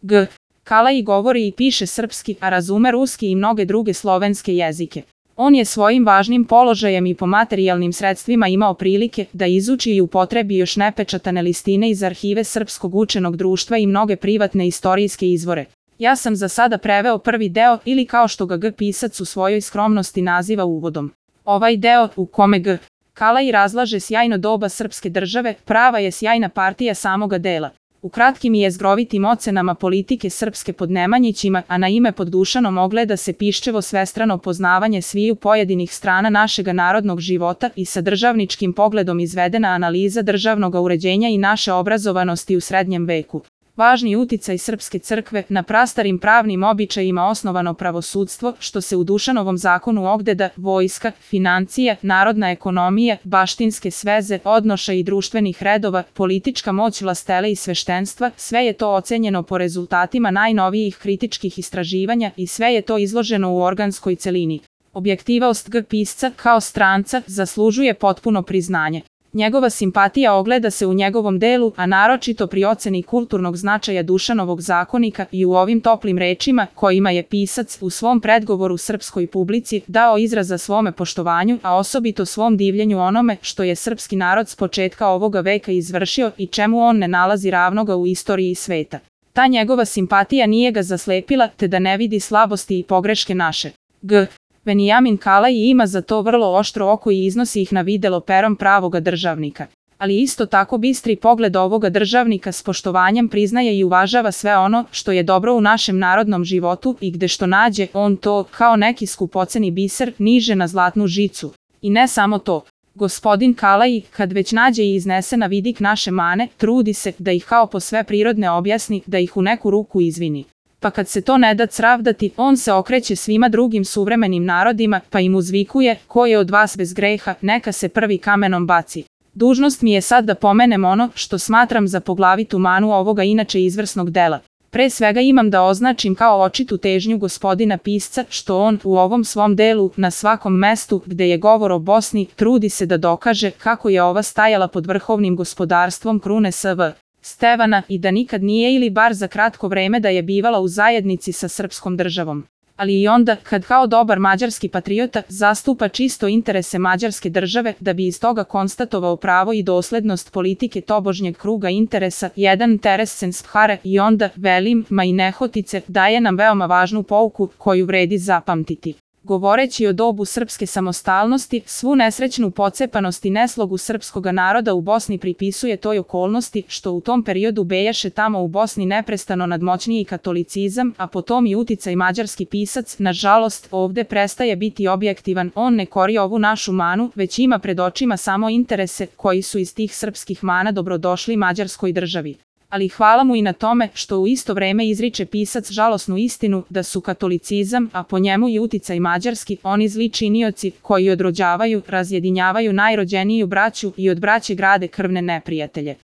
G. Kalaji govori i piše srpski, a razume ruski i mnoge druge slovenske jezike. On je svojim važnim položajem i po materijalnim sredstvima imao prilike da izuči i upotrebi još nepečatane listine iz arhive Srpskog učenog društva i mnoge privatne istorijske izvore. Ja sam za sada preveo prvi deo ili kao što ga G. pisac u svojoj skromnosti naziva uvodom. Ovaj deo, u kome G. Kalaji razlaže sjajno doba srpske države, prava je sjajna partija samoga dela. U kratkim i jezgrovitim ocenama politike srpske pod Nemanjićima, a na ime pod Dušanom ogleda se piščevo svestrano poznavanje sviju pojedinih strana našega narodnog života i sa državničkim pogledom izvedena analiza državnog uređenja i naše obrazovanosti u srednjem veku. Važni uticaj srpske crkve na prastarim pravnim običajima osnovano pravosudstvo, što se u Dušanovom zakonu ogdeda, vojska, financija, narodna ekonomija, baštinske sveze, odnoša i društvenih redova, politička moć vlastele i sveštenstva, sve je to ocenjeno po rezultatima najnovijih kritičkih istraživanja i sve je to izloženo u organskoj celini. Objektivnost G. pisca, kao stranca, zaslužuje potpuno priznanje. Njegova simpatija ogleda se u njegovom delu, a naročito pri oceni kulturnog značaja Dušanovog zakonika i u ovim toplim rečima kojima je pisac u svom predgovoru srpskoj publici dao izraza svome poštovanju, a osobito svom divljenju onome što je srpski narod s početka ovoga veka izvršio i čemu on ne nalazi ravnoga u istoriji sveta. Ta njegova simpatija nije ga zaslepila, te da ne vidi slabosti i pogreške naše. G. Venijamin Kalaji ima za to vrlo oštro oko i iznosi ih na videlo perom pravoga državnika. Ali isto tako bistri pogled ovoga državnika s poštovanjem priznaje i uvažava sve ono što je dobro u našem narodnom životu i gde što nađe, on to, kao neki skupoceni biser, niže na zlatnu žicu. I ne samo to. Gospodin Kalaji, kad već nađe i iznese na vidik naše mane, trudi se da ih kao po sve prirodne objasni, da ih u neku ruku izvini. Pa kad se to ne da cravdati, on se okreće svima drugim suvremenim narodima, pa im uzvikuje, ko je od vas bez greha, neka se prvi kamenom baci. Dužnost mi je sad da pomenem ono što smatram za poglavitu manu ovoga inače izvrsnog dela. Pre svega imam da označim kao očitu težnju gospodina pisca, što on u ovom svom delu, na svakom mestu gde je govor o Bosni, trudi se da dokaže kako je ova stajala pod vrhovnim gospodarstvom krune S.V. Stevana i da nikad nije ili bar za kratko vreme da je bivala u zajednici sa srpskom državom. Ali i onda, kad kao dobar mađarski patriota zastupa čisto interese mađarske države da bi iz toga konstatovao pravo i doslednost politike tobožnjeg kruga interesa, jedan Teresenshare i onda, velim, ma i nehotice, daje nam veoma važnu pouku koju vredi zapamtiti. Govoreći o dobu srpske samostalnosti, svu nesrećnu pocepanost i neslogu srpskoga naroda u Bosni pripisuje toj okolnosti što u tom periodu bejaše tamo u Bosni neprestano nadmoćniji katolicizam, a potom i uticaj mađarski pisac, nažalost, ovde prestaje biti objektivan, on ne kori ovu našu manu, već ima pred očima samo interese koji su iz tih srpskih mana dobrodošli mađarskoj državi. Ali hvala mu i na tome što u isto vreme izriče pisac žalosnu istinu da su katolicizam, a po njemu i uticaj mađarski, oni zli činioci koji odrođavaju, razjedinjavaju najrođeniju braću i od braće grade krvne neprijatelje.